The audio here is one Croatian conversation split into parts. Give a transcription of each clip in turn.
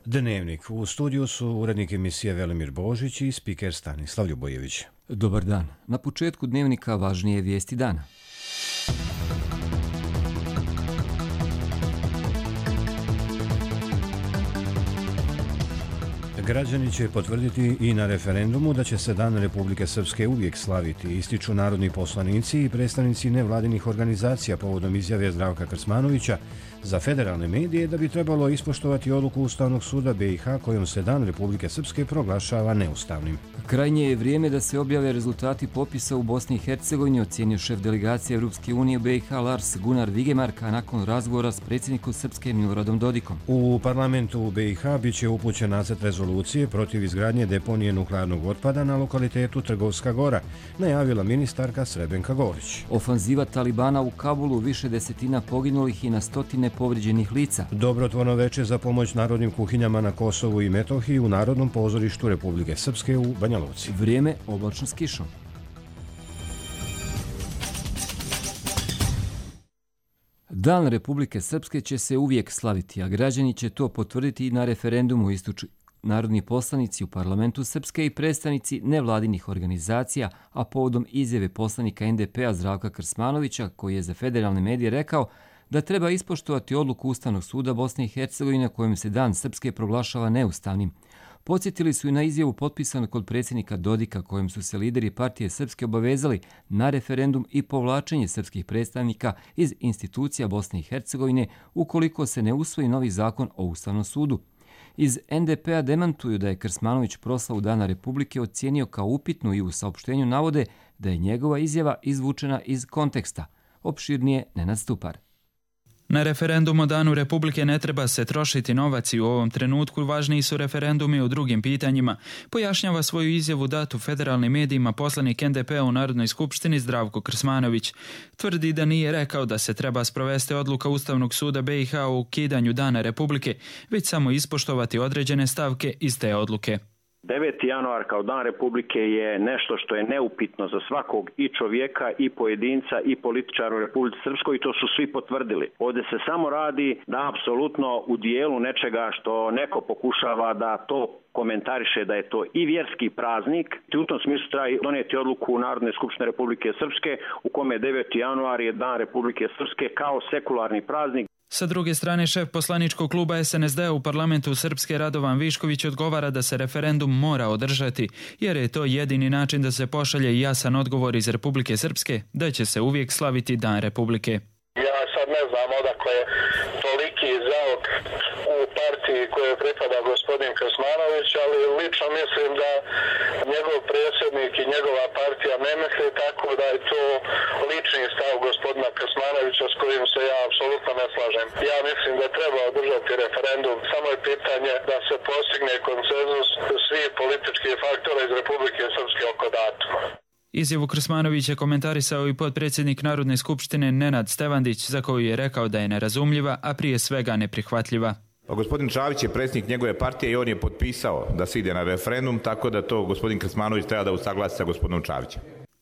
Dnevnik. U studiju su urednik emisije Velimir Božić i spiker Stanislav Ljubojević. Dobar dan. Na početku Dnevnika važnije vijesti dana. Građani će potvrditi i na referendumu da će se Dan Republike Srpske uvijek slaviti, ističu narodni poslanici i predstavnici nevladinih organizacija povodom izjave Zdravka Krsmanovića za federalne medije da bi trebalo ispoštovati odluku Ustavnog suda BiH kojom se Dan Republike Srpske proglašava neustavnim. Krajnje je vrijeme da se objave rezultati popisa u Bosni i Hercegovini, ocjenio šef delegacije Europske unije u BiH Lars Gunnar Vigemarka nakon razgovora s predsjednikom Srpske Miloradom Dodikom. U parlamentu u BiH bit će upućen nacrt rezolucije protiv izgradnje deponije nuklearnog otpada na lokalitetu Trgovska Gora, najavila ministarka Srebenka Gorić. Ofanziva Talibana u Kabulu, više desetina poginulih i na stotine povrijeđenih lica. Dobrotvorno veče za pomoć narodnim kuhinjama na Kosovu i Metohiji u Narodnom pozorištu Republike Srpske u Banja Luci. Vrijeme oblačno s kišom. Dan Republike Srpske će se uvijek slaviti, a građani će to potvrditi i na referendumu, ističu narodni poslanici u parlamentu Srpske i predstavnici nevladinih organizacija, a povodom izjave poslanika NDP-a Zdravka Krsmanovića, koji je za federalne medije rekao da treba ispoštovati odluku Ustavnog suda Bosne i Hercegovine kojim se Dan Srpske proglašava neustavnim. Podsjetili su i na izjavu potpisanu kod predsjednika Dodika kojim su se lideri partije Srpske obavezali na referendum i povlačenje srpskih predstavnika iz institucija Bosne i Hercegovine ukoliko se ne usvoji novi zakon o Ustavnom sudu. Iz NDP-a demantuju da je Krsmanović proslavu Dana Republike ocijenio kao upitnu i u saopštenju navode da je njegova izjava izvučena iz konteksta. Opširnije Nenad Stupar. Na referendum o Danu Republike ne treba se trošiti novac i u ovom trenutku važniji su referendumi u drugim pitanjima, pojašnjava svoju izjavu datu federalnim medijima poslanik NDP-a u Narodnoj skupštini Zdravko Krsmanović. Tvrdi da nije rekao da se treba sprovesti odluka Ustavnog suda BiH o ukidanju Dana Republike, već samo ispoštovati određene stavke iz te odluke. 9. januar kao Dan Republike je nešto što je neupitno za svakog i čovjeka i pojedinca i političara u Republici Srpskoj i to su svi potvrdili. Ovdje se samo radi da apsolutno u dijelu nečega što neko pokušava da to komentariše da je to i vjerski praznik. U tom smislu treba donijeti odluku Narodne skupštine Republike Srpske u kome 9. januar je Dan Republike Srpske kao sekularni praznik. Sa druge strane, šef poslaničkog kluba SNSD-a u parlamentu Srpske Radovan Višković odgovara da se referendum mora održati, jer je to jedini način da se pošalje jasan odgovor iz Republike Srpske da će se uvijek slaviti Dan Republike. Ja sad ne znam odakle je toliki zaok u partiji kojoj pripada gospodin Krsmanović, ali lično mislim da njegov predsjednik i njegova partija ne misli tako, da je to lični stav gospodina Krsmanovića s kojim se ja apsolutno ne slažem. Ja mislim da treba održati referendum, samo je pitanje da se postigne konsenzus svih političkih faktora iz Republike Srpske oko datuma. Izjavu Krsmanovića komentarisao i potpredsjednik Narodne skupštine Nenad Stevandić, za koju je rekao da je nerazumljiva, a prije svega neprihvatljiva. Pa gospodin Čavić je predsjednik njegove partije i on je potpisao da se ide na referendum, tako da to gospodin Krsmanović treba da usaglasi sa gospodinom Čavićem.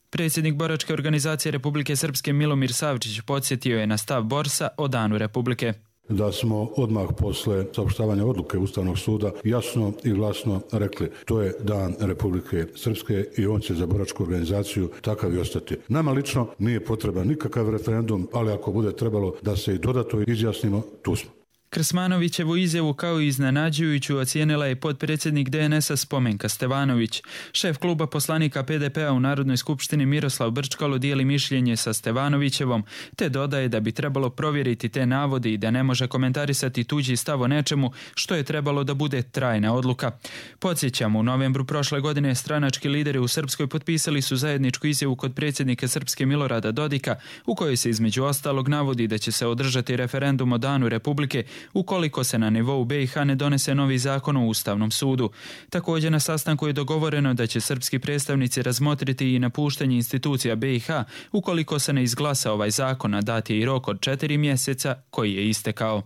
Predsjednik boračke organizacije Republike Srpske Milomir Savčić podsjetio je na stav Borsa o Danu Republike. Da smo odmah posle saopštavanja odluke Ustavnog suda jasno i glasno rekli to je Dan Republike Srpske i on će za boračku organizaciju takav i ostati. Nama lično nije potreban nikakav referendum, ali ako bude trebalo da se i dodatno izjasnimo, tu smo. Krsmanovićevu izjavu kao i iznenađujuću ocijenila je potpredsjednik DNS-a Spomenka Stevanović. Šef kluba poslanika PDP-a u Narodnoj skupštini Miroslav Brčkalo dijeli mišljenje sa Stevanovićevom, te dodaje da bi trebalo provjeriti te navode i da ne može komentarisati tuđi stav o nečemu što je trebalo da bude trajna odluka. Podsjećamo, u novembru prošle godine stranački lideri u Srpskoj potpisali su zajedničku izjavu kod predsjednika Srpske Milorada Dodika, u kojoj se između ostalog navodi da će se održati referendum o Danu Republike ukoliko se na nivou BiH ne donese novi zakon o Ustavnom sudu. Također na sastanku je dogovoreno da će srpski predstavnici razmotriti i napuštanje institucija BiH ukoliko se ne izglasa ovaj zakon, a dat je i rok od 4 mjeseca koji je istekao.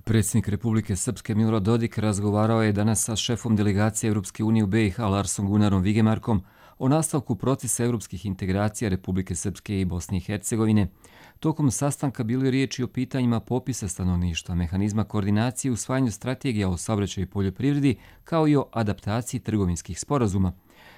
Predsjednik Republike Srpske Milorad Dodik razgovarao je danas sa šefom delegacije Europske unije u BiH Larsom Gunnarom Vigemarkom o nastavku procesa europskih integracija Republike Srpske i Bosne i Hercegovine. Tokom sastanka bilo je riječi o pitanjima popisa stanovništva, mehanizma koordinacije u usvajanju strategija o saobraćaju i poljoprivredi, kao i o adaptaciji trgovinskih sporazuma.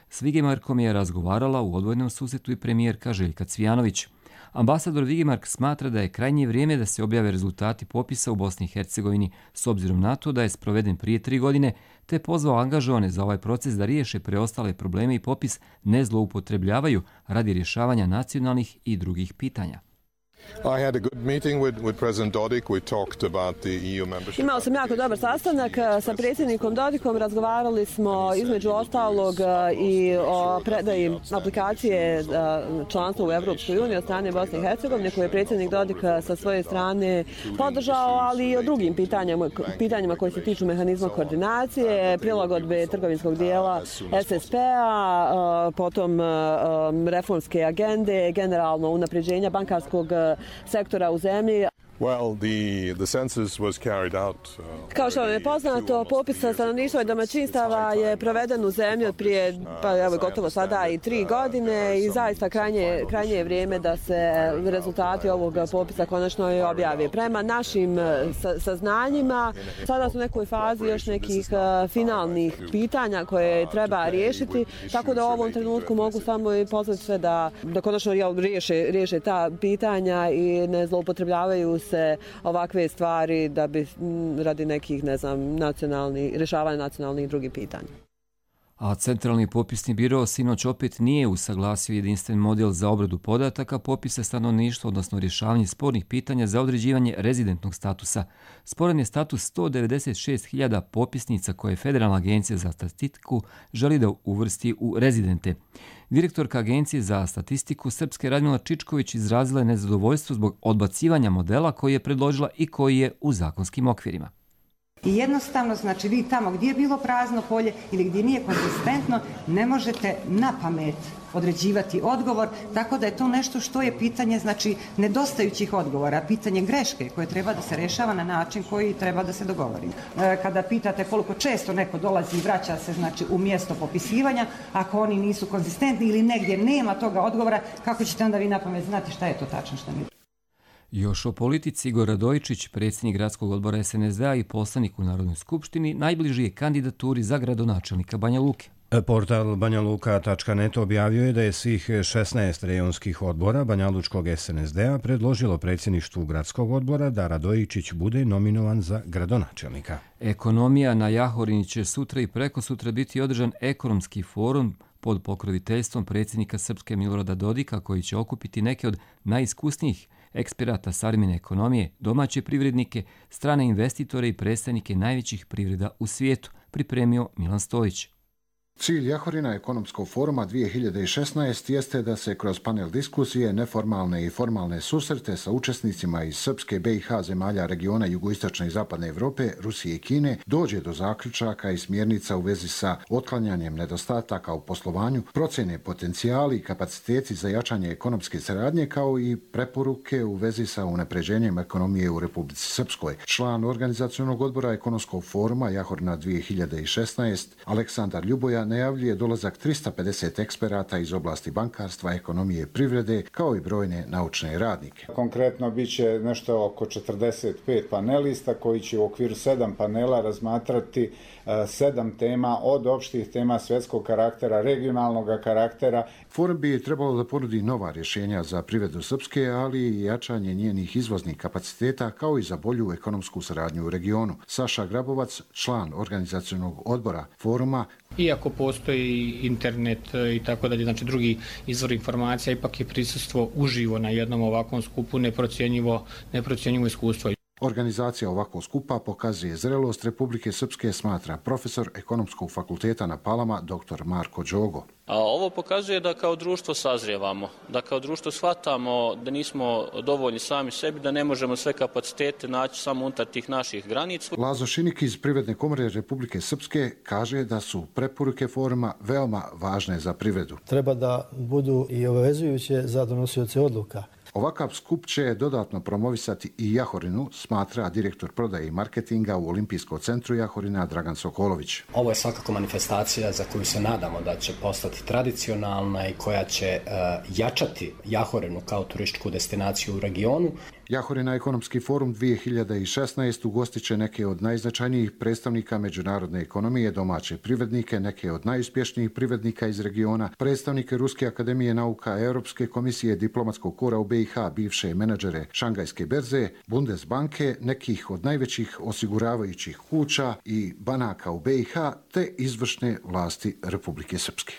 S Vigemarkom je razgovarala u odvojenom susretu i premijerka Željka Cvijanović. Ambasador Vigemark smatra da je krajnje vrijeme da se objave rezultati popisa u Bosni i Hercegovini s obzirom na to da je sproveden prije 3 godine, te pozvao angažovane za ovaj proces da riješe preostale probleme i popis ne zloupotrebljavaju radi rješavanja nacionalnih i drugih pitanja. Imao sam jako dobar sastanak sa predsjednikom Dodikom, razgovarali smo između ostalog i o predaji aplikacije članstva u Europskoj uniji od strane Bosne i Hercegovine, koje je predsjednik Dodik sa svoje strane podržao, ali i o drugim pitanjima koji se tiču mehanizma koordinacije, prilagodbe trgovinskog dijela SSP-a, potom reformske agende, generalno unapređenja bankarskog sektora u zemlji. Kao što vam je poznato, popis stanovništva i domaćinstava je proveden u zemlji od prije, gotovo sada i 3 godine i zaista krajnje je vrijeme da se rezultati ovog popisa konačno i objave. Prema našim saznanjima, sada su u nekoj fazi još nekih finalnih pitanja koje treba riješiti, tako da u ovom trenutku mogu samo i pozvati sve da konačno riješe ta pitanja i ne zloupotrebljavaju se ovakve stvari da bi radi nekih, rješavanja nacionalnih i drugih pitanja. A Centralni popisni biro sinoć opet nije usaglasio jedinstven model za obradu podataka popisa stanovništva, odnosno rješavanje spornih pitanja za određivanje rezidentnog statusa. Sporan je status 196.000 popisnica koje Federalna agencija za statistiku želi da uvrsti u rezidente. Direktorka Agencije za statistiku Srpske Radmila Čičković izrazila je nezadovoljstvo zbog odbacivanja modela koji je predložila i koji je u zakonskim okvirima. I jednostavno, znači vi tamo gdje je bilo prazno polje ili gdje nije konzistentno, ne možete na pamet određivati odgovor, tako da je to nešto što je pitanje, znači, nedostajućih odgovora, pitanje greške koje treba da se rješava na način koji treba da se dogovori. Kada pitate koliko često neko dolazi i vraća se, znači, u mjesto popisivanja, ako oni nisu konzistentni ili negdje nema toga odgovora, kako ćete onda vi na pamet znati šta je to tačno, šta nije? Još o politici, Igor Radojičić, predsjednik gradskog odbora SNSD-a i poslanik u Narodnoj skupštini, najbliži je kandidaturi za gradonačelnika Banja Luke. Portal banjaluka.net objavio je da je svih 16 rejonskih odbora Banjalučkog SNSD-a predložilo predsjedništvu gradskog odbora da Radojičić bude nominovan za gradonačelnika. Ekonomija na Jahorini će sutra i prekosutra biti održan ekonomski forum pod pokroviteljstvom predsjednika Srpske Milorada Dodika, koji će okupiti neke od najiskusnijih eksperata savremene ekonomije, domaće privrednike, strane investitore i predstavnike najvećih privreda u svijetu, pripremio Milan Stojić. Cilj Jahorina ekonomskog foruma 2016 jeste da se kroz panel diskusije, neformalne i formalne susrete sa učesnicima iz Srpske, BiH, zemalja regiona jugoistočne i zapadne Evrope, Rusije i Kine dođe do zaključaka i smjernica u vezi sa otklanjanjem nedostataka u poslovanju, procjene potencijali i kapaciteti za jačanje ekonomske saradnje, kao i preporuke u vezi sa unapređenjem ekonomije u Republici Srpskoj. Član organizacionog odbora ekonomskog foruma Jahorina 2016 Aleksandar Ljuboja najavljuje dolazak 350 eksperata iz oblasti bankarstva, ekonomije i privrede, kao i brojne naučne radnike. Konkretno bit će nešto oko 45 panelista koji će u okviru 7 panela razmatrati 7 tema, od opštih tema svjetskog karaktera, regionalnog karaktera. Forum bi trebalo da ponudi nova rješenja za privredu Srpske, ali i jačanje njenih izvoznih kapaciteta, kao i za bolju ekonomsku saradnju u regionu. Saša Grabovac, član organizacionog odbora foruma. Iako postoji internet i tako dalje, znači drugi izvor informacija, ipak je prisustvo uživo na jednom ovakvom skupu neprocjenjivo iskustvo. Organizacija ovakvog skupa pokazuje zrelost Republike Srpske, smatra profesor ekonomskog fakulteta na Palama dr. Marko Đogo. A ovo pokazuje da kao društvo sazrijevamo, da kao društvo shvatamo da nismo dovoljni sami sebi, da ne možemo sve kapacitete naći samo unutar tih naših granica. Lazo Šinik iz Privredne komore Republike Srpske kaže da su preporuke foruma veoma važne za privredu. Treba da budu i obavezujuće za donosioce odluka. Ovakav skup će dodatno promovisati i Jahorinu, smatra direktor prodaje i marketinga u Olimpijskom centru Jahorina Dragan Sokolović. Ovo je svakako manifestacija za koju se nadamo da će postati tradicionalna i koja će jačati Jahorinu kao turističku destinaciju u regionu. Jahorina ekonomski forum 2016 ugostit će neke od najznačajnijih predstavnika međunarodne ekonomije, domaće privrednike, neke od najuspješnijih privrednika iz regiona, predstavnike Ruske akademije nauka, Europske komisije, diplomatskog kora u BiH, bivše menadžere Šangajske berze, Bundesbanke, nekih od najvećih osiguravajućih kuća i banaka u BiH, te izvršne vlasti Republike Srpske.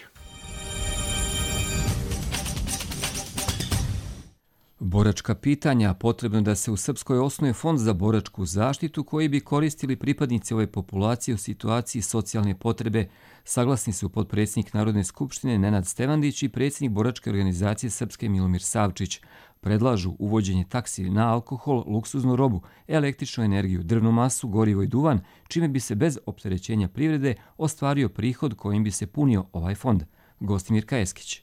Boračka pitanja. Potrebno da se u Srpskoj osnuje fond za boračku zaštitu koji bi koristili pripadnici ove populacije u situaciji socijalne potrebe. Saglasni su potpredsjednik Narodne skupštine Nenad Stevandić i predsjednik Boračke organizacije Srpske Milomir Savčić. Predlažu uvođenje taksi na alkohol, luksuznu robu, električnu energiju, drvnu masu, gorivo i duvan, čime bi se bez opterećenja privrede ostvario prihod kojim bi se punio ovaj fond. Gostimir Kajeskić.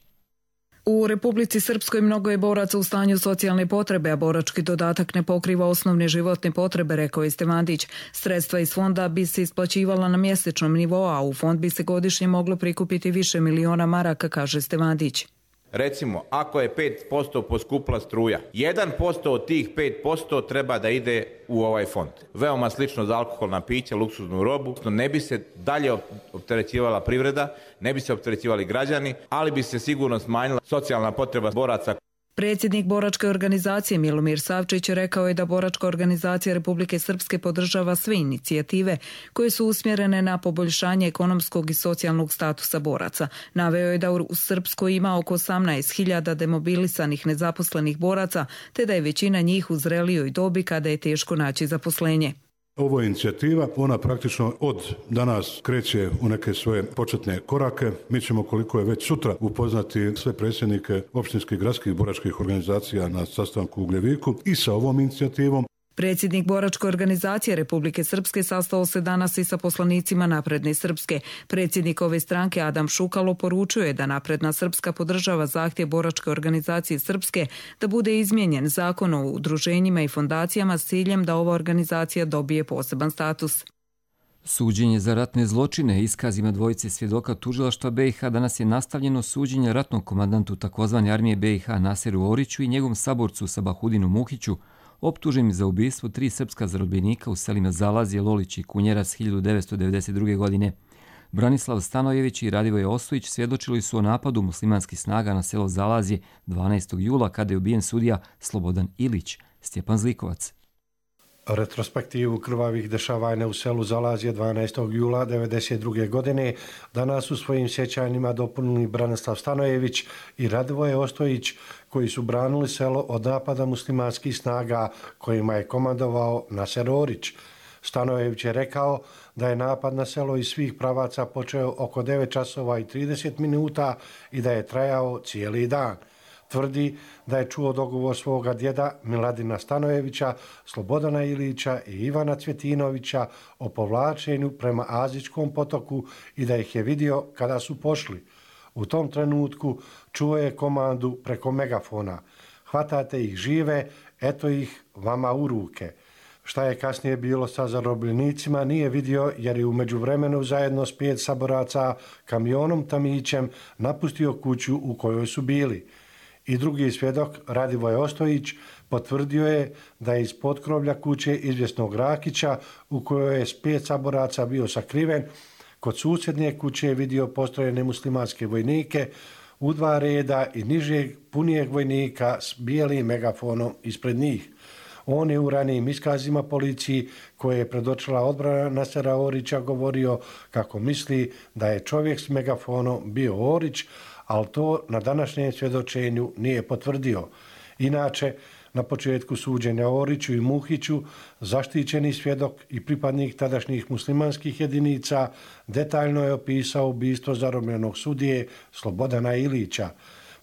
U Republici Srpskoj mnogo je boraca u stanju socijalne potrebe, a borački dodatak ne pokriva osnovne životne potrebe, rekao je Stevandić. Sredstva iz fonda bi se isplaćivala na mjesečnom nivou, a u fond bi se godišnje moglo prikupiti više miliona maraka, kaže Stevandić. Recimo, ako je 5% poskupla struja, 1% od tih 5% treba da ide u ovaj fond. Veoma slično za alkoholna pića, luksuznu robu. Ne bi se dalje opterećivala privreda, ne bi se opterećivali građani, ali bi se sigurno smanjila socijalna potreba boraca. Predsjednik Boračke organizacije Milomir Savčić rekao je da Boračka organizacija Republike Srpske podržava sve inicijative koje su usmjerene na poboljšanje ekonomskog i socijalnog statusa boraca. Naveo je da u Srpskoj ima oko 18.000 demobilisanih nezaposlenih boraca, te da je većina njih u zrelijoj dobi kada je teško naći zaposlenje. Ovo je inicijativa, ona praktično od danas kreće u neke svoje početne korake. Mi ćemo koliko je već sutra upoznati sve predsjednike opštinskih gradskih boračkih organizacija na sastanku u Ugljeviku i sa ovom inicijativom. Predsjednik Boračke organizacije Republike Srpske sastao se danas i sa poslanicima Napredne Srpske. Predsjednik ove stranke Adam Šukalo poručuje da Napredna Srpska podržava zahtjev Boračke organizacije Srpske da bude izmijenjen zakon o udruženjima i fondacijama s ciljem da ova organizacija dobije poseban status. Suđenje za ratne zločine iskazima dvojice svjedoka tužilaštva BiH danas je nastavljeno suđenje ratnom komandantu tzv. Armije BiH Naseru Oriću i njegovom saborcu Sabahudinu Muhiću, optuženim za ubistvo 3 srpska zarobljenika u selima Zalazje, Lolić i Kunjerac 1992. godine. Branislav Stanojević i Radivoje Ostojić svjedočili su o napadu muslimanskih snaga na selo Zalazje 12. jula kada je ubijen sudija Slobodan Ilić. Stjepan Zlikovac. Retrospektivu krvavih dešavanja u selu Zalazje 12. jula 1992. godine danas u svojim sjećanjima dopunili Branislav Stanojević i Radivoje Ostojić, koji su branili selo od napada muslimanskih snaga kojima je komandovao Naser Orić. Stanojević je rekao da je napad na selo iz svih pravaca počeo oko 9 časova i 30 minuta i da je trajao cijeli dan. Tvrdi da je čuo dogovor svoga djeda Miladina Stanojevića, Slobodana Ilića i Ivana Cvjetinovića o povlačenju prema Azičkom potoku i da ih je vidio kada su pošli. U tom trenutku čuo je komandu preko megafona. Hvatate ih žive, eto ih vama u ruke. Šta je kasnije bilo sa zarobljenicima nije vidio jer je u međuvremenu zajedno s 5 saboraca kamionom tamićem napustio kuću u kojoj su bili. I drugi svjedok, Radivoje Ostojić, potvrdio je da je iz potkrovlja kuće izvjesnog Rakića, u kojoj je s 5 saboraca bio sakriven, kod susjednje kuće je vidio postrojene muslimanske vojnike u 2 reda i nižeg punijeg vojnika s bijelim megafonom ispred njih. On je u ranijim iskazima policiji koje je predočila odbrana Nasera Orića govorio kako misli da je čovjek s megafonom bio Orić, ali to na današnjem svjedočenju nije potvrdio. Inače, na početku suđenja Oriću i Muhiću, zaštićeni svjedok i pripadnik tadašnjih muslimanskih jedinica detaljno je opisao ubistvo zarobljenog sudije Slobodana Ilića.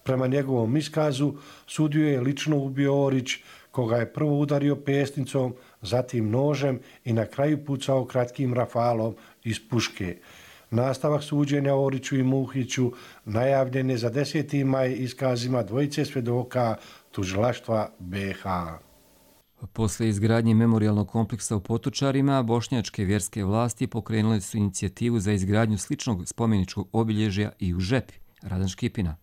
Prema njegovom iskazu, sudiju je lično ubio Orić, koga je prvo udario pesnicom, zatim nožem i na kraju pucao kratkim rafalom iz puške. Nastavak suđenja Oriću i Muhiću najavljen je za 10. maj iskazima dvojice svjedoka tužilaštva BiH. Posle izgradnje memorijalnog kompleksa u Potočarima, bošnjačke vjerske vlasti pokrenule su inicijativu za izgradnju sličnog spomeničkog obilježja i u Žepi. Radan Škipina.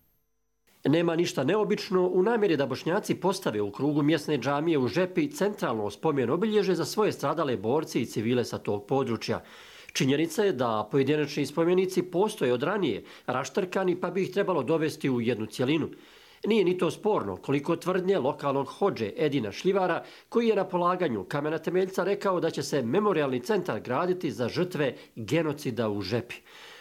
Nema ništa neobično u namjeri da Bošnjaci postave u krugu mjesne džamije u Žepi centralno spomen obilježje za svoje stradale borce i civile sa tog područja. Činjenica je da pojedinačni spomenici postoje od ranije, raštrkani, pa bi ih trebalo dovesti u jednu cjelinu. Nije ni to sporno koliko tvrdnje lokalnog hodže Edina Šljivara, koji je na polaganju kamena temeljca rekao da će se memorijalni centar graditi za žrtve genocida u Žepi.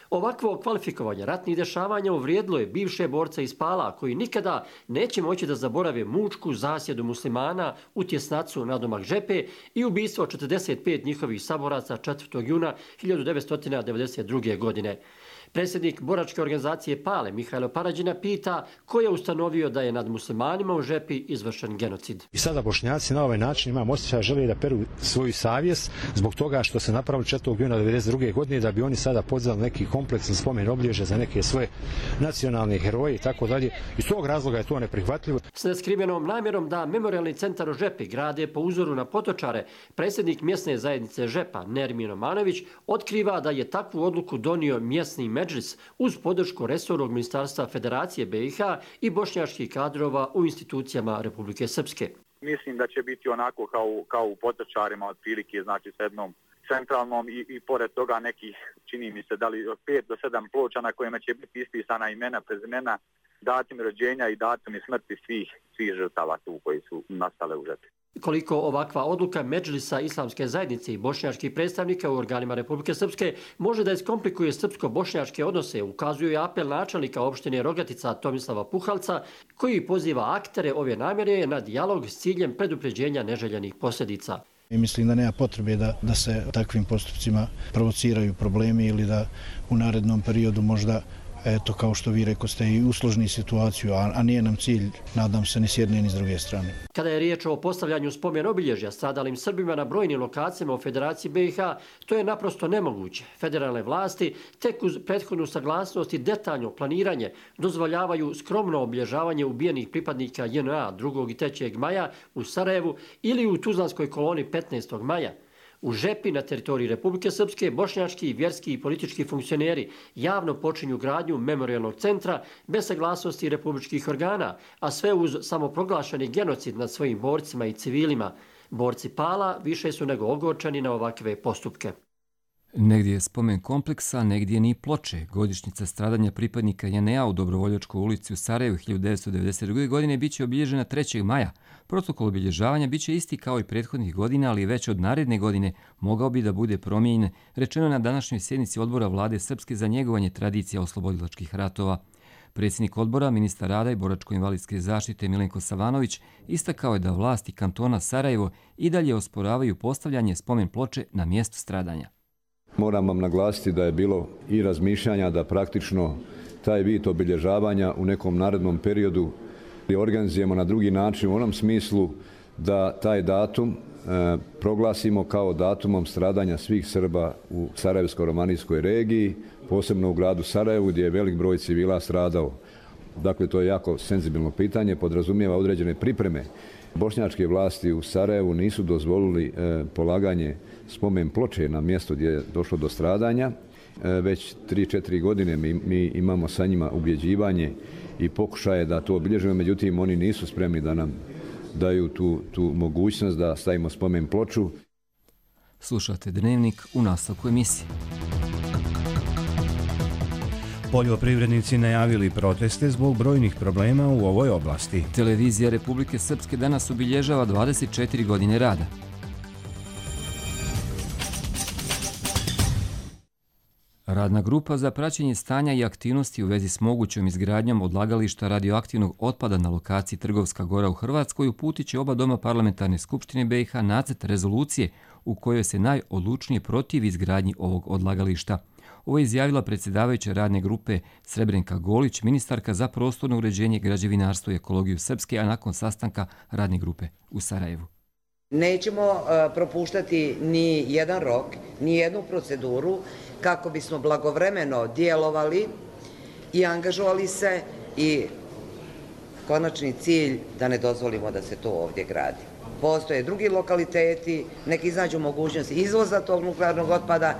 Ovakvo kvalifikovanje ratnih dešavanja uvrijedilo je bivše borce iz Pala, koji nikada neće moći da zaborave mučku zasjedu muslimana u Tjesnacu nadomak Žepe i ubistvo 45 njihovih saboraca 4. juna 1992. godine. Predsjednik boračke organizacije Pale, Mihajlo Parađina, pita ko je ustanovio da je nad muslimanima u Žepi izvršen genocid. I sada Bošnjaci na ovaj način, imam osjećaj, žele da peru svoju savjest zbog toga što se napravili 4. juna 1992. godine, da bi oni sada podzeli neki kompleksan spomen obilježja za neke svoje nacionalne heroje i tako dalje. Iz tog razloga je to neprihvatljivo. S neskrivenom namjerom da memorijalni centar u Žepi grade po uzoru na Potočare, predsjednik mjesne zajednice Žepa, Nermin Omanović, otkriva da je takvu odluku donio mjesni Medžlis uz podršku resornog ministarstva Federacije BiH i bošnjačkih kadrova u institucijama Republike Srpske. Mislim da će biti onako kao u Potočarima, otprilike, znači s jednom centralnom i pored toga nekih, čini mi se, da li od 5 do 7 ploča na kojima će biti ispisana imena, prezimena, datum rođenja i datum smrti svih žrtava tu koji su nastale u Žepi. Koliko ovakva odluka Medžlisa Islamske zajednice i bošnjačkih predstavnika u organima Republike Srpske može da iskomplikuje srpsko-bošnjačke odnose, ukazuje apel načelnika opštine Rogatica Tomislava Puhalca, koji poziva aktere ove namjere na dijalog s ciljem predupređenja neželjenih posljedica. I mislim da nema potrebe da se takvim postupcima provociraju problemi ili da u narednom periodu možda, eto, kao što vi rekoste, i usložni situaciju, a nije nam cilj, nadam se, ni s jedne ni s druge strane. Kada je riječ o postavljanju spomen obilježja stradalim Srbima na brojnim lokacijama u Federaciji BiH, to je naprosto nemoguće. Federalne vlasti tek uz prethodnu saglasnost i detaljno planiranje dozvoljavaju skromno obilježavanje ubijenih pripadnika JNA 2. i 3. maja u Sarajevu ili u Tuzlanskoj koloni 15. maja. U Žepi na teritoriji Republike Srpske bošnjački, vjerski i politički funkcioneri javno počinju gradnju memorijalnog centra bez saglasnosti republičkih organa, a sve uz samoproglašeni genocid nad svojim borcima i civilima. Borci Pala više su nego ogorčani na ovakve postupke. Negdje je spomen kompleksa, negdje ni ploče. Godišnjica stradanja pripadnika JNA u Dobrovoljačkoj ulici u Sarajevu 1992. godine biće obilježena 3. maja. Protokol obilježavanja biće isti kao i prethodnih godina, ali već od naredne godine mogao bi da bude promijenjen, rečeno na današnjoj sjednici odbora vlade Srpske za njegovanje tradicija oslobodilačkih ratova. Predsjednik odbora, ministar rada i boračko-invalidske zaštite Milenko Savanović istakao je da vlasti kantona Sarajevo i dalje osporavaju postavljanje spomen ploče na mjestu stradanja. Moram vam naglasiti da je bilo i razmišljanja da praktično taj vid obilježavanja u nekom narednom periodu organizujemo na drugi način u onom smislu da taj datum proglasimo kao datumom stradanja svih Srba u Sarajevsko-romanijskoj regiji, posebno u gradu Sarajevu gdje je velik broj civila stradao. Dakle, to je jako senzibilno pitanje, podrazumijeva određene pripreme. Bošnjačke vlasti u Sarajevu nisu dozvolili polaganje spomen ploče na mjesto gdje je došlo do stradanja. Već 3-4 godine mi imamo sa njima ubjeđivanje i pokušaje da to obilježimo, međutim oni nisu spremni da nam daju tu mogućnost da stavimo spomen ploču. Slušate Dnevnik u nastavku emisije. Poljoprivrednici najavili proteste zbog brojnih problema u ovoj oblasti. Televizija Republike Srpske danas obilježava 24 godine rada. Radna grupa za praćenje stanja i aktivnosti u vezi s mogućom izgradnjom odlagališta radioaktivnog otpada na lokaciji Trgovska Gora u Hrvatskoj uputit će oba doma parlamentarne skupštine BiH nacrt rezolucije u kojoj se najodlučnije protivi izgradnji ovog odlagališta. Ovo je izjavila predsjedavajuća radne grupe Srebrenka Golić, ministarka za prostorno uređenje, građevinarstvo i ekologiju Srpske, a nakon sastanka radne grupe u Sarajevu. Nećemo propuštati ni jedan rok, ni jednu proceduru kako bismo blagovremeno djelovali i angažovali se i konačni cilj da ne dozvolimo da se to ovdje gradi. Postoje drugi lokaliteti, neki iznađu mogućnost izvoza tog nuklearnog otpada.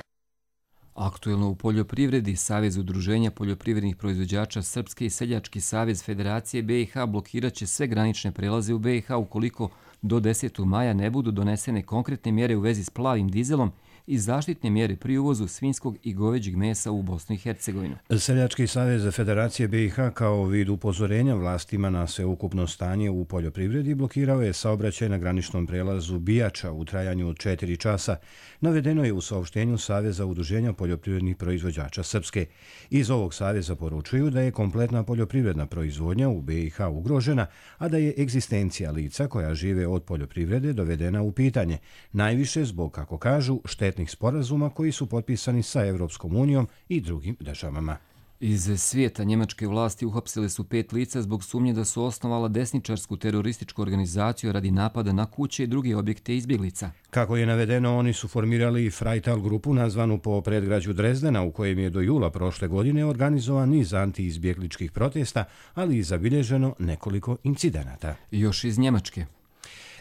Aktuelno u poljoprivredi, Savez udruženja poljoprivrednih proizvođača Srpske i Seljački savez Federacije BiH blokirat će sve granične prelaze u BiH ukoliko do 10. maja ne budu donesene konkretne mjere u vezi s plavim dizelom i zaštitne mjere pri uvozu svinjskog i goveđeg mesa u Bosnu i Hercegovinu. Seljački savez Federacije BiH kao vid upozorenja vlastima na sveukupno stanje u poljoprivredi blokirao je saobraćaj na graničnom prelazu Bijača u trajanju od 4 časa. Navedeno je u saopštenju Saveza udruženja poljoprivrednih proizvođača Srpske. Iz ovog saveza poručuju da je kompletna poljoprivredna proizvodnja u BiH ugrožena, a da je egzistencija lica koja žive od poljoprivrede dovedena u pitanje. Najviše zbog, kako kažu, štetnih sporazuma koji su potpisani sa Evropskom unijom i drugim državama. Iz svijeta njemačke vlasti uhapsile su 5 lica zbog sumnje da su osnovala desničarsku terorističku organizaciju radi napada na kuće i druge objekte izbjeglica. Kako je navedeno, oni su formirali Freital grupu nazvanu po predgrađu Drezdena u kojem je do jula prošle godine organizovan niz anti-izbjegličkih protesta, ali i zabilježeno nekoliko incidenata. Još iz Njemačke.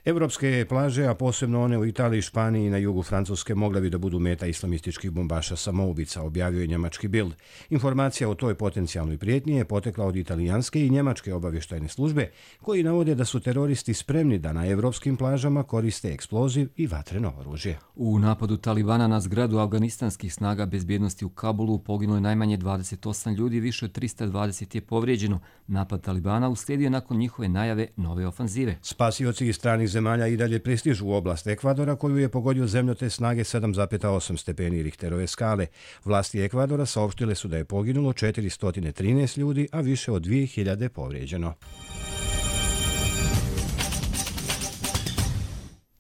Evropske plaže, a posebno one u Italiji, Španiji i na jugu Francuske, mogle bi da budu meta islamističkih bombaša samoubica, objavio je njemački Bild. Informacija o toj potencijalnoj prijetnji je potekla od italijanske i njemačke obavještajne službe, koji navode da su teroristi spremni da na evropskim plažama koriste eksploziv i vatreno oružje. U napadu Talibana na zgradu afganistanskih snaga bezbjednosti u Kabulu poginulo je najmanje 28 ljudi, više od 320 je povrijeđeno. Napad Talibana uslijedio nakon njihove najave nove ofanzive. Spasioci iz stranih zemalja i dalje pristižu u oblast Ekvadora, koju je pogodio zemljotres snage 7,8 stepeni Richterove skale. Vlasti Ekvadora saopštile su da je poginulo 413 ljudi, a više od 2000 povrijeđeno.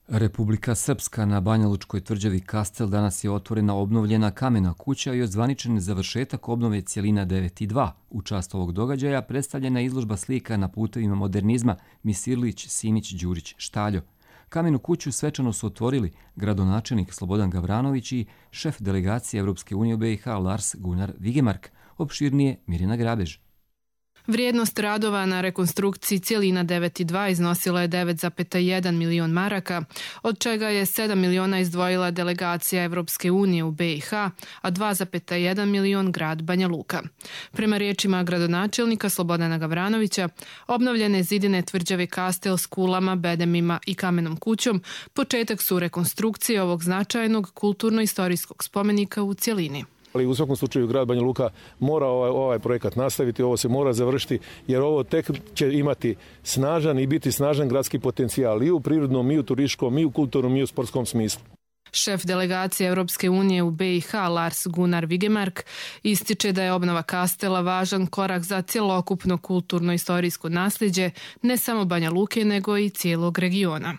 Republika Srpska na Banjalučkoj tvrđavi Kastel danas je otvorena obnovljena kamena kuća i ozvaničen završetak obnove cjelina 9 i 2. U čast ovog događaja predstavljena je izložba slika na putevima modernizma Misirlić, Simić, Đurić, Štaljo. Kamenu kuću svečano su otvorili gradonačelnik Slobodan Gavranović i šef delegacije Evropske unije u BiH Lars Gunnar Vigemark. Opširnije Mirjana Grabež. Vrijednost radova na rekonstrukciji cjelina 9 i 2 iznosila je 9,1 milion maraka, od čega je 7 miliona izdvojila delegacija Evropske unije u BiH, a 2,1 milion grad Banja Luka. Prema riječima gradonačelnika Slobodana Gavranovića, obnovljene zidine tvrđave Kastel s kulama, bedemima i kamenom kućom početak su rekonstrukcije ovog značajnog kulturno-istorijskog spomenika u cjelini. Ali u svakom slučaju grad Banja Luka mora ovaj projekat nastaviti, ovo se mora završiti, jer ovo tek će imati snažan i biti snažan gradski potencijal i u prirodnom, i u turističkom, i u kulturnom, i u sportskom smislu. Šef delegacije Evropske unije u BiH Lars Gunnar Vigemark ističe da je obnova Kastela važan korak za cjelokupno kulturno-istorijsko nasljeđe ne samo Banja Luke nego i cijelog regiona.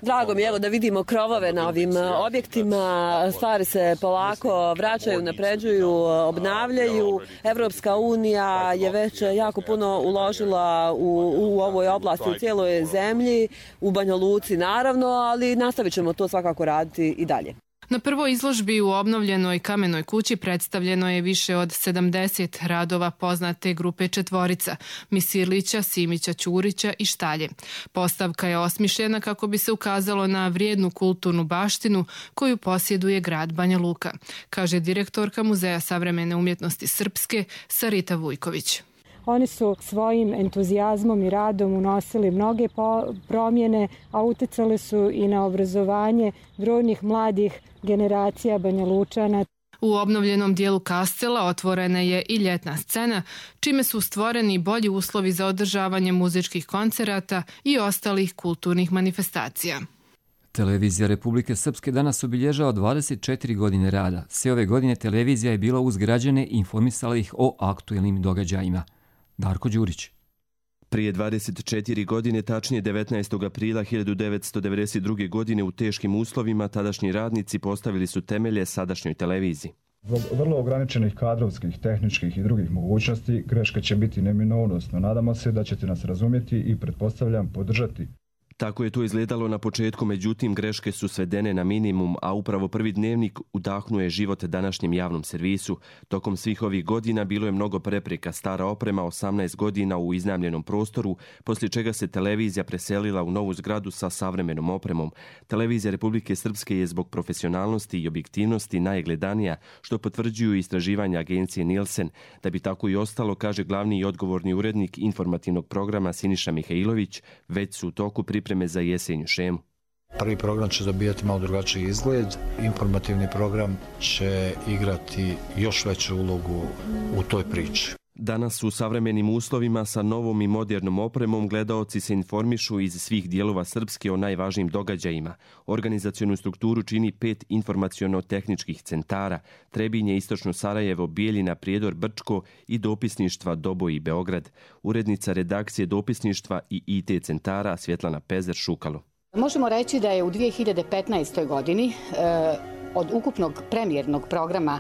Drago mi je da vidimo krovove na ovim objektima, stvari se polako vraćaju, napređuju, obnavljaju. Evropska unija je već jako puno uložila u ovoj oblasti, u cijeloj zemlji, u Banja Luci naravno, ali nastavit ćemo to svakako raditi i dalje. Na prvoj izložbi u obnovljenoj kamenoj kući predstavljeno je više od 70 radova poznate grupe četvorica, Misirlića, Simića, Ćurića i Štalje. Postavka je osmišljena kako bi se ukazalo na vrijednu kulturnu baštinu koju posjeduje grad Banja Luka, kaže direktorka Muzeja savremene umjetnosti Srpske Sarita Vujković. Oni su svojim entuzijazmom i radom unosili mnoge promjene, a utjecali su i na obrazovanje brojnih mladih generacija Banja Lučana. U obnovljenom dijelu Kastela otvorena je i ljetna scena, čime su stvoreni bolji uslovi za održavanje muzičkih koncerata i ostalih kulturnih manifestacija. Televizija Republike Srpske danas obilježava 24 godine rada. Sve ove godine televizija je bila uz građane i informisala ih o aktuelnim događajima. Darko Đurić. Prije 24 godine, tačnije 19. aprila 1992. godine, u teškim uslovima tadašnji radnici postavili su temelje sadašnjoj televiziji. Zbog vrlo ograničenih kadrovskih, tehničkih i drugih mogućnosti, greška će biti neminovnost, no nadamo se da ćete nas razumjeti i pretpostavljam podržati. Tako je to izgledalo na početku, međutim greške su svedene na minimum, a upravo Prvi dnevnik udahnuje život današnjem javnom servisu. Tokom svih ovih godina bilo je mnogo prepreka, stara oprema 18 godina u iznajmljenom prostoru, poslije čega se televizija preselila u novu zgradu sa savremenom opremom. Televizija Republike Srpske je zbog profesionalnosti i objektivnosti najgledanija, što potvrđuju istraživanja agencije Nielsen. Da bi tako i ostalo, kaže glavni i odgovorni urednik informativnog programa Siniša Mihajlović, već su u toku pripreme za jesenju šemu. Prvi program će dobijati malo drugačiji izgled. Informativni program će igrati još veću ulogu u toj priči. Danas u savremenim uslovima sa novom i modernom opremom gledaoci se informišu iz svih dijelova Srpske o najvažnijim događajima. Organizacionu strukturu čini 5 informaciono-tehničkih centara: Trebinje, Istočno Sarajevo, Bijeljina, Prijedor, Brčko i dopisništva Doboj i Beograd. Urednica redakcije dopisništva i IT centara Svjetlana Pezer-Šukalo. Možemo reći da je u 2015. godini od ukupnog premijernog programa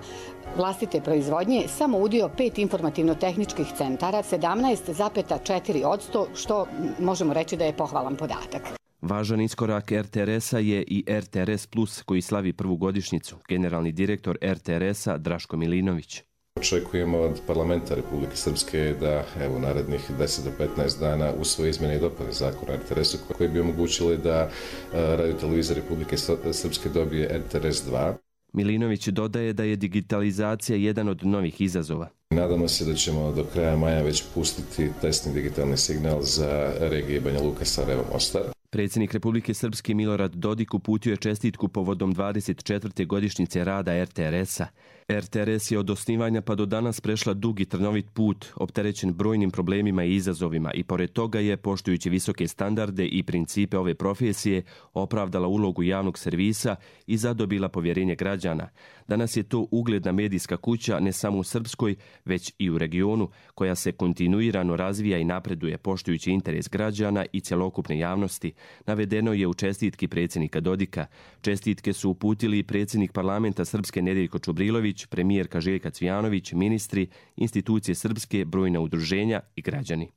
vlastite proizvodnje samo udio 5 informativno-tehničkih centara, 17,4%, što možemo reći da je pohvalan podatak. Važan iskorak RTRS-a je i RTRS Plus koji slavi prvu godišnjicu. Generalni direktor RTRS-a Draško Milinović. Očekujemo od parlamenta Republike Srpske da u narednih 10 do 15 dana usvoje izmjene i dopune zakona o RTRS-u koji bi omogućili da Radio-televizija Republike Srpske dobije RTRS 2. Milinović dodaje da je digitalizacija jedan od novih izazova. Nadamo se da ćemo do kraja maja već pustiti testni digitalni signal za regije Banja Luka, Sarajevo, Mostar. Predsjednik Republike Srpske Milorad Dodik uputio je čestitku povodom 24. godišnjice rada RTRS-a. RTRS je od osnivanja pa do danas prešla dug i trnovit put, opterećen brojnim problemima i izazovima, i pored toga je, poštujući visoke standarde i principe ove profesije, opravdala ulogu javnog servisa i zadobila povjerenje građana. Danas je to ugledna medijska kuća ne samo u Srpskoj, već i u regionu, koja se kontinuirano razvija i napreduje poštujući interes građana i cjelokupne javnosti, navedeno je u čestitki predsjednika Dodika. Čestitke su uputili i predsjednik parlamenta Srpske Nedeljko Čubrilović, premijerka Željka Cvijanović, ministri, institucije Srpske, brojna udruženja i građani.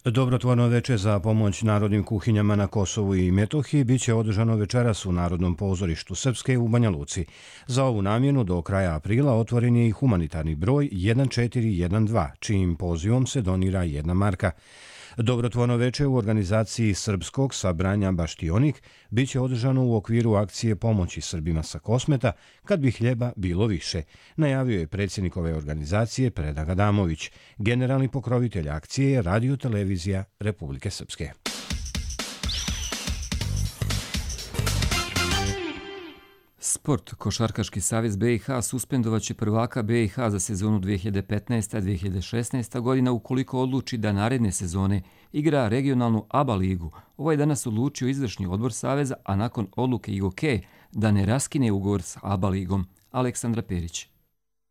Dobrotvorno veče za pomoć narodnim kuhinjama na Kosovu i Metohiji biće održano večeras u Narodnom pozorištu Srpske u Banja Luci. Za ovu namjenu do kraja aprila otvoren je i humanitarni broj 1412, čijim pozivom se donira 1 marka. Dobrotvorno veče u organizaciji Srpskog sabranja Baštionik biće održano u okviru akcije pomoći Srbima sa Kosmeta kad bi hljeba bilo više, najavio je predsjednik ove organizacije Predrag Adamović. Generalni pokrovitelj akcije je Radio-televizija Republike Srpske. Sport. Košarkaški savez BiH suspendovaće prvaka BiH za sezonu 2015-2016 godina ukoliko odluči da naredne sezone igra regionalnu ABA ligu. Ovo je danas odlučio izvršni odbor saveza, a nakon odluke IGOK da ne raskine ugovor s ABA ligom. Aleksandra Perić.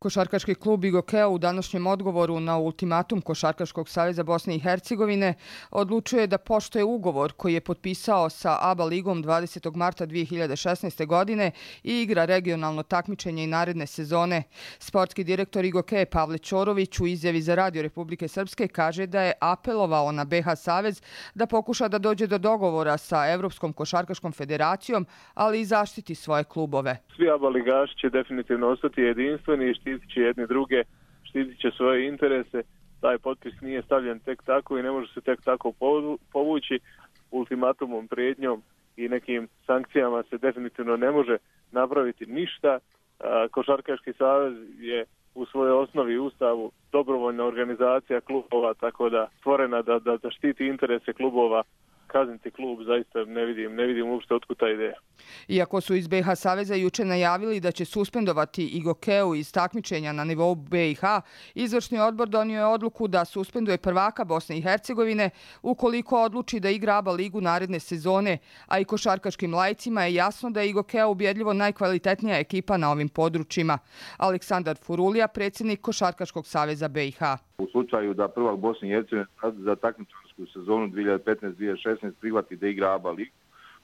Košarkaški klub IGOK-a u današnjem odgovoru na ultimatum Košarkaškog saveza Bosne i Hercegovine odlučuje da poštuje ugovor koji je potpisao sa ABA ligom 20. marta 2016. godine i igra regionalno takmičenje i naredne sezone. Sportski direktor IGOK-a Pavle Ćorović u izjavi za Radio Republike Srpske kaže da je apelovao na BiH savez da pokuša da dođe do dogovora sa Evropskom košarkaškom federacijom, ali i zaštiti svoje klubove. Svi ABA ligaši će definitivno ostati jedinstveni i štitit će jedni druge, štitit će svoje interese. Taj potpis nije stavljen tek tako i ne može se tek tako povući. Ultimatumom, prijetnjom i nekim sankcijama se definitivno ne može napraviti ništa. Košarkaški savez je u svojoj osnovi ustavu dobrovoljna organizacija klubova, tako da stvorena da štiti interese klubova. Kazniti klub zaista ne vidim uopšte otkud ta ideja. Iako su iz BiH saveza juče najavili da će suspendovati IGOK-u iz takmičenja na nivou BiH, izvršni odbor donio je odluku da suspenduje prvaka Bosne i Hercegovine ukoliko odluči da igra ABA ligu naredne sezone, a i košarkaškim laicima je jasno da je IGOK-a ubjedljivo najkvalitetnija ekipa na ovim područjima. Aleksandar Furulija, predsjednik Košarkaškog saveza BiH. U slučaju da prvak Bosne i Hercegovine za takmičarsku sezonu 2015-2016 prihvati da igra ABA ligu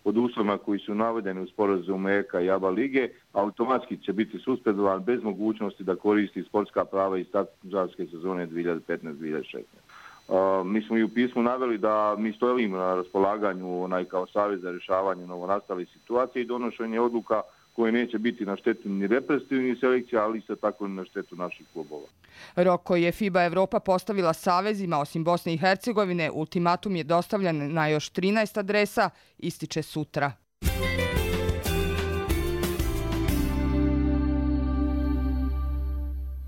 pod uslovima koji su navedeni u sporazumu EK i ABA lige, automatski će biti suspendovan bez mogućnosti da koristi sportska prava iz takmičarske sezone 2015-2016. Mi smo i u pismu naveli da mi stojimo na raspolaganju kao savez za rješavanje novonastalih situacija i donošenje odluka koje neće biti na štetu ni reprezentativnih selekcija, ali isto tako ni na štetu naših klubova. Rok koji je FIBA Evropa postavila savezima osim Bosne i Hercegovine, ultimatum je dostavljan na još 13 adresa, ističe sutra.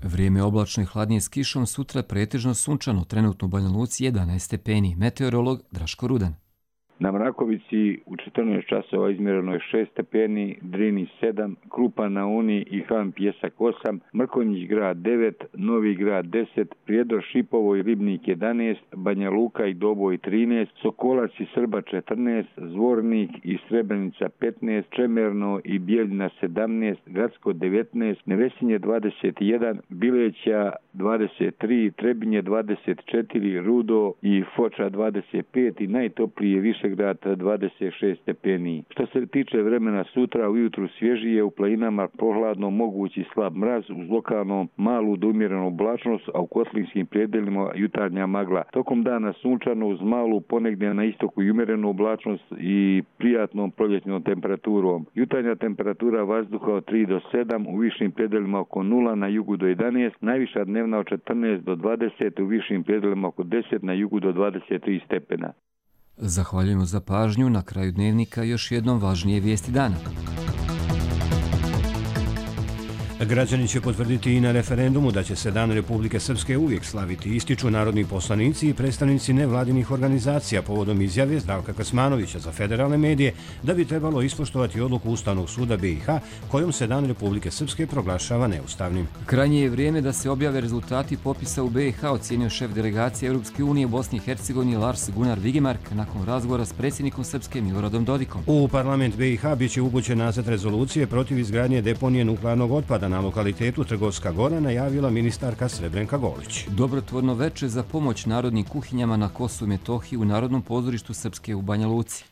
Vrijeme oblačno i hladnije s kišom, sutra pretežno sunčano, trenutno u Banja Luci 11 stepeni. Meteorolog Draško Rudan. Na Mrakovici u 14 časova izmjereno je 6 stepeni, Drini 7, Krupa na Uni i Han Pjesak 8, Mrkonjić grad 9, Novi grad 10, Prijedor, Šipovo i Ribnik 11, Banja Luka i Doboj 13, Sokolac i Srba 14, Zvornik i Srebrenica 15, Čemerno i Bijeljina 17, Gradsko 19, Nevesinje 21, Bileća 23, Trebinje 24, Rudo i Foča 25 i najtoplije Višegrad 26 stepeni. Što se tiče vremena sutra, ujutru svježije, u planinama prohladno, mogući slab mraz uz lokalno malu do umjerenu oblačnost, a u kotlinskim predjelima jutarnja magla. Tokom dana sunčano uz malu ponegdje na istoku i umjerenu oblačnost i prijatnom proljetnom temperaturom. Jutarnja temperatura vazduha od 3 do 7, u višim predjelima oko 0, na jugu do 11, najviša dnevna od 14 do 20, u višim predjelima oko 10, na jugu do 23 stepena. Zahvaljujemo za pažnju. Na kraju dnevnika još jednom važnije vijesti dana. Građani će potvrditi i na referendumu da će se Dan Republike Srpske uvijek slaviti, ističu narodni poslanici i predstavnici nevladinih organizacija povodom izjave Zdravka Krsmanovića za federalne medije da bi trebalo ispoštovati odluku Ustavnog suda BiH kojom se Dan Republike Srpske proglašava neustavnim. Krajnje je vrijeme da se objave rezultati popisa u BiH, ocjenio šef delegacije Europske unije u Bosni i Hercegovini Lars Gunnar Vigemark nakon razgovora s predsjednikom Srpske Miloradom Dodikom. U parlament BiH biće upućen nacrt rezolucije protiv izgradnje deponije nuklearnog otpada na lokalitetu Trgovska Gora, najavila ministarka Srebrenka Golić. Dobrotvorno veče za pomoć narodnim kuhinjama na Kosovu i Metohiji u Narodnom pozorištu Srpske u Banja Luci.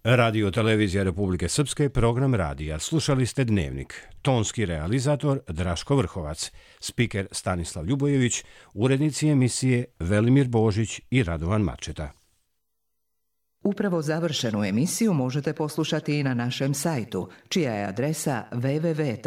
Radio Televizija Republike Srpske, program radija. Slušali ste Dnevnik. Tonski realizator Draško Vrhovac, spiker Stanislav Ljubojević, urednici emisije Velimir Božić i Radovan Mačeta. Upravo završenu emisiju možete poslušati i na našem sajtu, čija je adresa www.rtrs.tv.